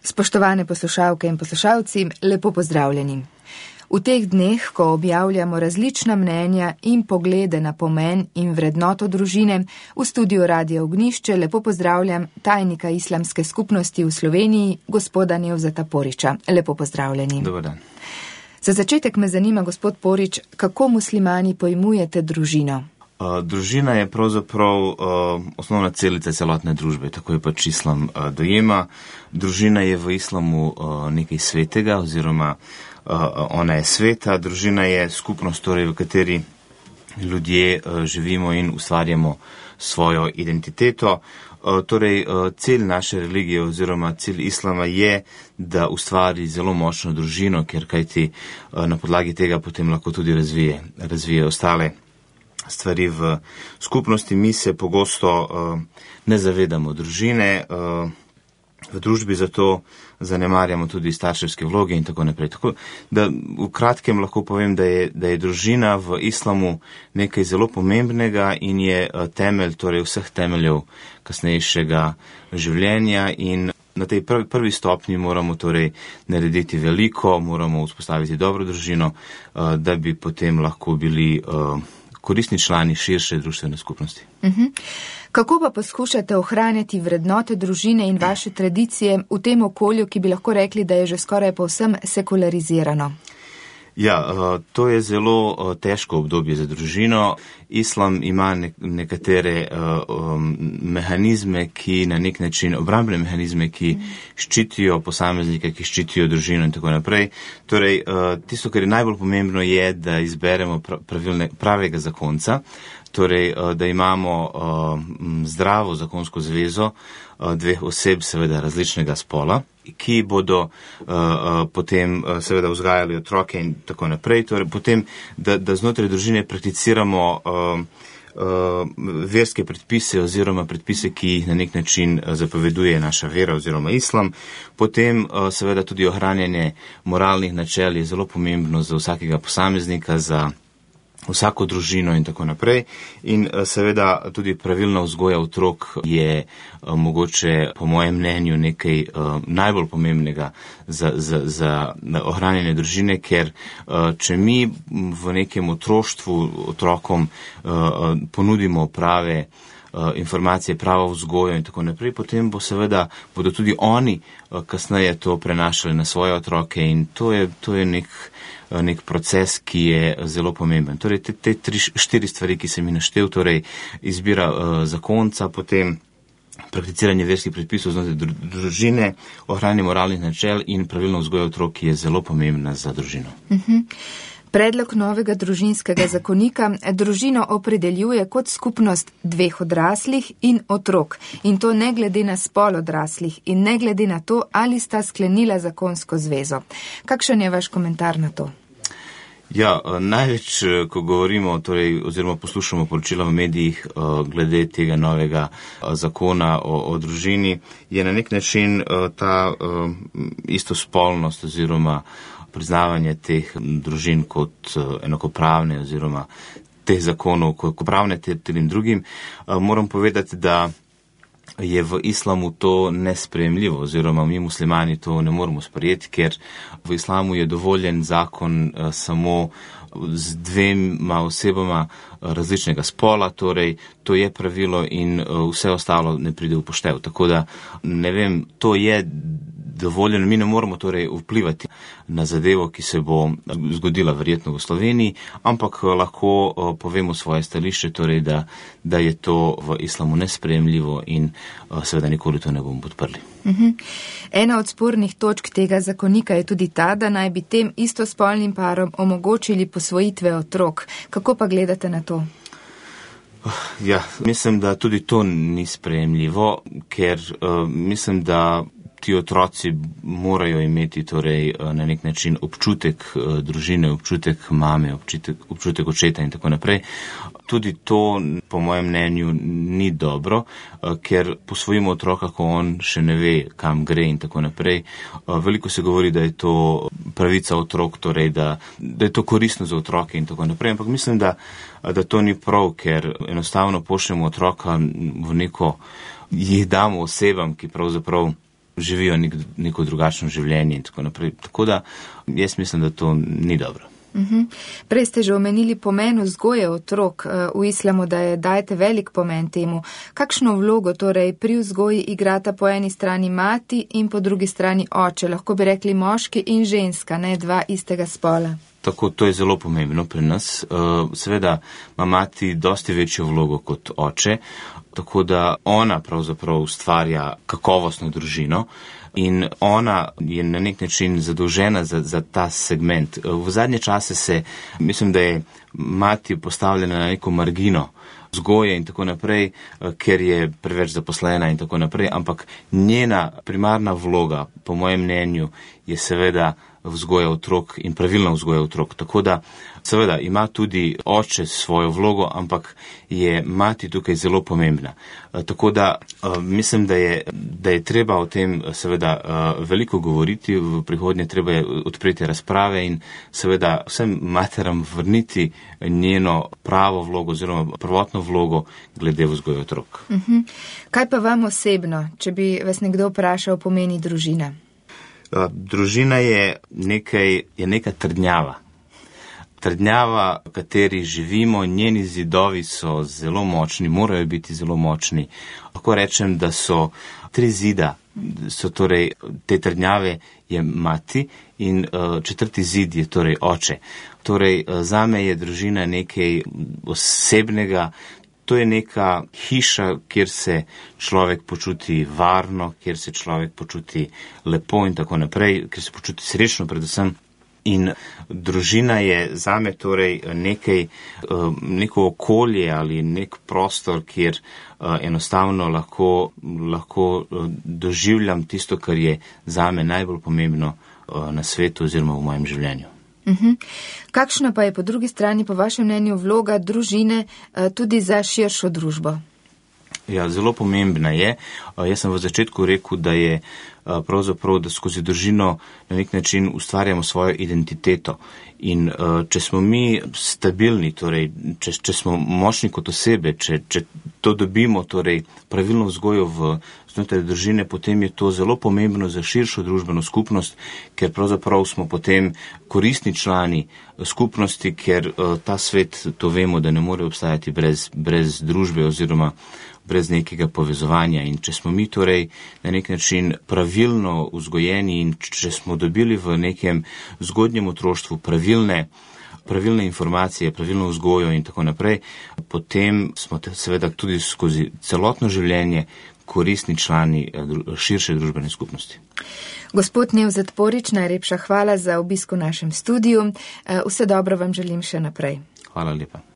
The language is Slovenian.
Spoštovane poslušalke in poslušalci, lepo pozdravljeni. V teh dneh, ko objavljamo različna mnenja in poglede na pomen in vrednoto družine, v studiu Radia Ognjišče lepo pozdravljam tajnika Islamske skupnosti v Sloveniji, gospoda Nevzeta Poriča. Lepo pozdravljeni. Dobar dan. Za začetek me zanima, gospod Porič, kako muslimani pojmujete družino? Družina je pravzaprav osnovna celica celotne družbe, tako je pač islam dojema. Družina je v islamu nekaj svetega oziroma ona je sveta. Družina je skupnost, torej, v kateri ljudje živimo in ustvarjamo svojo identiteto. Torej, cilj naše religije oziroma cilj islama je, da ustvari zelo močno družino, ker kajti na podlagi tega potem lahko tudi razvije ostale stvari v skupnosti. Mi se pogosto ne zavedamo družine v družbi, zato zanemarjamo tudi starševske vloge in tako naprej. Tako da v kratkem lahko povem, da je družina v islamu nekaj zelo pomembnega in je temelj, torej vseh temeljev kasnejšega življenja, in na tej prvi stopnji moramo torej narediti veliko, moramo vzpostaviti dobro družino, da bi potem lahko bili koristni člani širše družbene skupnosti. Kako pa poskušate ohranjati vrednote družine in vaše tradicije v tem okolju, ki bi lahko rekli, da je že skoraj povsem sekularizirano? Ja, to je zelo težko obdobje za družino. Islam ima nekatere mehanizme, ki na nek način, obrambne mehanizme, ki ščitijo posameznike, ki ščitijo družino in tako naprej. Torej, tisto, kar je najbolj pomembno, je, da izberemo pravega zakonca, torej, da imamo zdravo zakonsko zvezo dveh oseb, seveda različnega spola, ki bodo potem seveda vzgajali otroke in tako naprej. Torej, potem, da znotraj družine prakticiramo verske predpise oziroma predpise, ki jih na nek način zapoveduje naša vera oziroma islam. Potem seveda tudi ohranjanje moralnih načel je zelo pomembno za vsakega posameznika, za vsako družino in tako naprej. In seveda tudi pravilna vzgoja otrok je mogoče, po mojem mnenju, nekaj najbolj pomembnega za ohranjanje družine, ker če mi v nekem otroštvu otrokom ponudimo prave informacije, pravo vzgojo in tako naprej, potem bodo tudi oni kasneje to prenašali na svoje otroke, in to je nek proces, ki je zelo pomemben. Torej, te 3-4 stvari, ki sem jih naštel, torej izbira zakonca, potem prakticiranje verskih predpisov znotraj družine, ohranjanje moralnih načel in pravilno vzgoja otrok je zelo pomembna za družino. Predlog novega družinskega zakonika družino opredeljuje kot skupnost dveh odraslih in otrok, in to ne glede na spol odraslih in ne glede na to, ali sta sklenila zakonsko zvezo. Kakšen je vaš komentar na to? Ja, največ, ko govorimo, torej, oziroma poslušamo poročila v medijih glede tega novega zakona o družini, je na nek način ta istospolnost oziroma priznavanje teh družin kot enakopravne oziroma teh zakonov kot enakopravne tem drugim. Moram povedati, da je v islamu to nesprejemljivo oziroma mi muslimani to ne moremo sprejeti, ker v islamu je dovoljen zakon samo z dvema osebama različnega spola, torej to je pravilo in vse ostalo ne pride v poštev. Tako da, ne vem, to je dovoljeno, mi ne moramo torej vplivati na zadevo, ki se bo zgodila verjetno v Sloveniji, ampak lahko povemo svoje stališče, torej da je to v islamu nesprejemljivo in seveda nikoli to ne bomo podprli. Ena od spornih točk tega zakonika je tudi ta, da naj bi tem istospolnim parom omogočili posvojitve otrok. Kako pa gledate na to? Ja, mislim, da tudi to ni sprejemljivo, ker mislim, da ti otroci morajo imeti torej na nek način občutek družine, občutek mame, občutek očeta in tako naprej. Tudi to, po mojem mnenju, ni dobro, ker posvojimo otroka, ko on še ne ve, kam gre in tako naprej. Veliko se govori, da je to pravica otrok, torej da je to koristno za otroke in tako naprej, ampak mislim, da to ni prav, ker enostavno pošljemo otroka v neko, jih damo osebam, ki pravzaprav živijo neko drugačno življenje in tako naprej. Tako da jaz mislim, da to ni dobro. Prej ste že omenili pomen vzgoje otrok v islamu, da je dajete velik pomen temu. Kakšno vlogo torej pri vzgoji igrata po eni strani mati in po drugi strani oče? Lahko bi rekli moški in ženska, ne dva istega spola. Tako, to je zelo pomembno pri nas. Seveda ima mati dosti večjo vlogo kot oče, tako da ona pravzaprav ustvarja kakovostno družino in ona je na nek način zadolžena za ta segment. V zadnje čase mislim, da je mati postavljena na neko margino vzgoje in tako naprej, ker je preveč zaposlena in tako naprej, ampak njena primarna vloga, po mojem mnenju, je seveda vzgoja otrok in pravilna vzgoja otrok. Tako da seveda ima tudi oče svojo vlogo, ampak je mati tukaj zelo pomembna. Tako da mislim, da je treba o tem seveda veliko govoriti, v prihodnje treba je odpreti razprave in seveda vsem materam vrniti njeno pravo vlogo oziroma prvotno vlogo glede vzgoje otrok. Kaj pa vam osebno, če bi vas nekdo vprašal o pomeni družine? Družina je neka trdnjava. Trdnjava, v kateri živimo, njeni zidovi so zelo močni, morajo biti zelo močni. Lahko rečem, da so 3 zida, so torej te trdnjave je mati in 4. zid je torej oče. Torej zame je družina nekaj osebnega. To je neka hiša, kjer se človek počuti varno, kjer se človek počuti lepo in tako naprej, kjer se počuti srečno predvsem. In družina je zame torej neko okolje ali nek prostor, kjer enostavno lahko doživljam tisto, kar je zame najbolj pomembno na svetu oziroma v mojem življenju. Kakšna pa je po drugi strani po vašem mnenju vloga družine tudi za širšo družbo? Ja, zelo pomembna je. Jaz sem v začetku rekel, da je pravzaprav, da skozi družino na nek način ustvarjamo svojo identiteto. In če smo mi stabilni, torej, če smo močni kot osebe, če to dobimo, torej pravilno vzgojo znotraj družine, potem je to zelo pomembno za širšo družbeno skupnost, ker pravzaprav smo potem koristni člani skupnosti, ker ta svet, to vemo, da ne more obstajati brez družbe oziroma brez nekega povezovanja. In če smo mi torej na nek način pravilno vzgojeni in če smo dobili v nekem zgodnjem otroštvu pravilne informacije, pravilno vzgojo in tako naprej, potem smo seveda tudi skozi celotno življenje koristni člani širše družbene skupnosti. Gospod Nevzet Porić, najlepša hvala za obisk v našem studiu. Vse dobro vam želim še naprej. Hvala lepa.